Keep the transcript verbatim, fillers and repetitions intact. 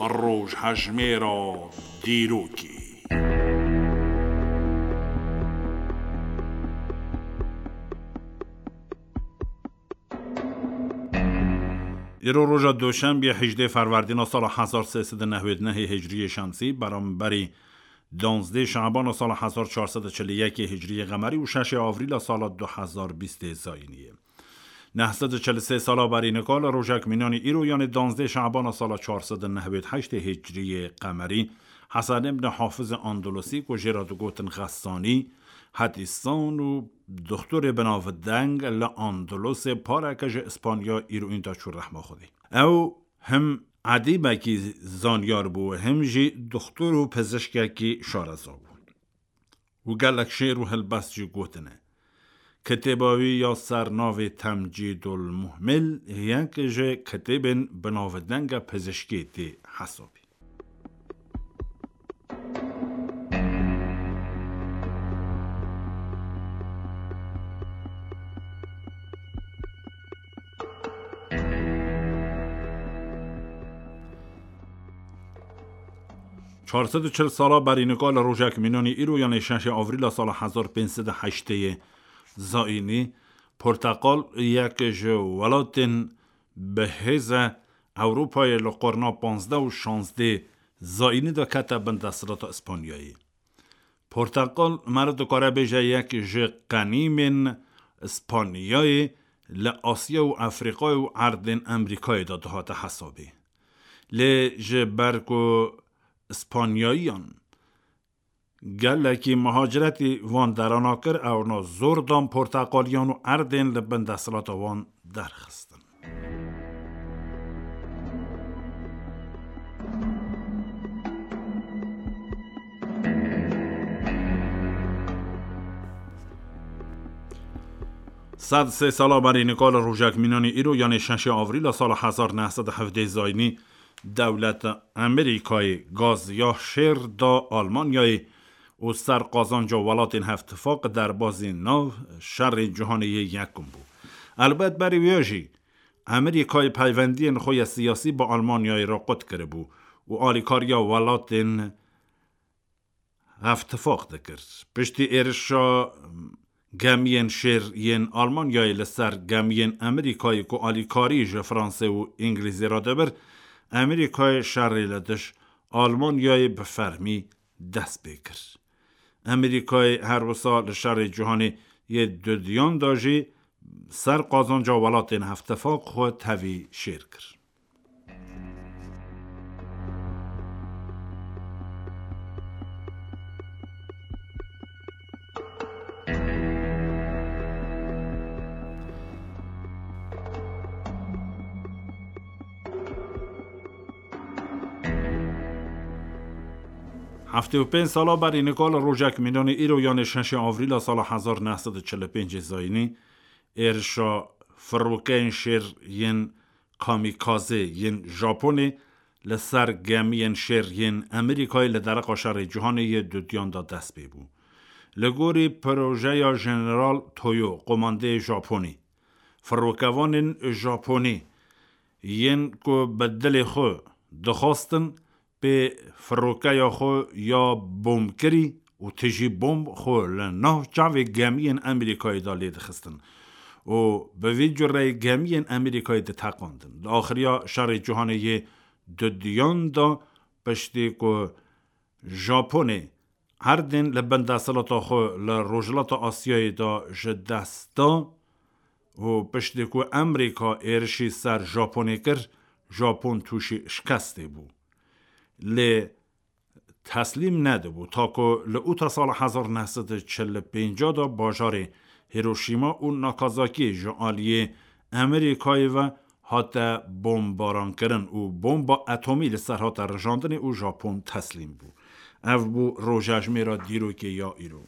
Rojhejmêra dîrokê. Îro roja Doşembiyê hejdê Ferwerdîna sala hezar sê sed û newêd nehê Hicriyê Şemsî, beramberî danzdê Şabana sala hezar çar sed û çil û yekê Hicriyê Qemerî û şeşê Avrîla sala du hezar bîstê Zayînî ye. Neh sed û çil û sê sala berî nika li rojek mînanî îro, yanê danzdê Şabana sala çar sed û newêd heştê Hicriyê Qemerî, Hesen ibn Hafizê Andalusî ku jê re digotin Xessanî, hedîsan û doxtorê binavdeng li Andalusê pareke ji Îspanya îro înda çû rehma Xwedê. Ew him edîbekî zanyar bû, him jî doxtor û pizişkekî şareza bû. Û gelek şêr û helbest jî gotine. Kitêba wî ya ser navê Temcîdul Muhmil yek ji kitêbên binavdenge pizişkê tê hesabê. Çar sed û çil sala berî nika li rojek mînanî îro, yanê şeşê Avrîla sala hezar pênc sed û heştê Zayînî, porteqal yek ji welatên bi hêz e Ewropayê li qurna panzdeh û şazdê Zayînî de kete bin desthilata Îspanyayê. Porteqal meriv dikare bêje yek ji qenîmên Îspanyayê li Asya û Efrîqayê û erdên Emerîkayê de dihate hesabê. Lê ji ber ku Îspanyayiyan gelekî muhaciretî van derana kir, ewna zor dan porteqaliyan û erdên li bin desthilata wan derxistin. Sed sê sala berî nika li rojek mînanî îro, yanê şeşê Avrîla sala hezar neh sed û hevdeh Zayînî, dewleta Amerîkayê gaz ya şêr da Almanyayê û ser qazanca welatên Hevtifaq derbazî nav şerê cîhanê yê yekum bû. Elbet berî wê jî Amerîkayê peywendiyên xwe ya siyasî bi Almanyayê re qut kiribû û alîkariya welatên Hevtifaq dikir. Piştî êrişa gemiyên şêr yên Almanyayê li ser gemiyên Amerîkayê ku alîkarî ji Fransê û Îngilîzê re dibir, Amerîkayê şerê li dij Almanyayê bi fermî dest pê kir. Amerîkayê her wisa li şerê cîhanê yê dudiyan de jî ser qazanca welatên Hevtifaq xwe tevî şêr kir. Heftê û pênc sala berî nika li rojek mînanî îro, yanê şeşê Avrîla sala hezar neh sed û çil û pêncê Zayînî, êrişa firokeyên şêr yên kamîkazê yên Japonê li ser gemiyên şêr yên Amerîkayê li dereqa şerê cîhanê yê dudiyan de dest pê bû. Li gorî projeya Jeneral Toyo, qomandeyê Japonî, firokevanên Japonî yên ku bi dilê xwe dixwastin pê firokeya xwe ya bombkirî û tijî bomb xwe li nav çavê gemiyên Amerîkayê de lê dixistin û bi vî cureyê gemiyên Amerîkayê diteqandin. Di axiriya şerê cîhanê yê dudiyan de, piştî ku Japonê erdên li bin desthilata xwe li Rojhilata Asyayê de ji dest da û piştî ku Amerîka êrişî ser Japonê kir, Japon tûşî şikestê bû. Lê teslîm nedibû, ta ku li ûta sala hezar neh sed û çil û pênc de bajarê Hiroşîma û Nakazakî ji aliyê Amerîkayê ve hate bombarankirin û bomba etomî li ser hate rijandinê û Japon teslîm bû. Ev bû rojejmêra dîrokê ya îro.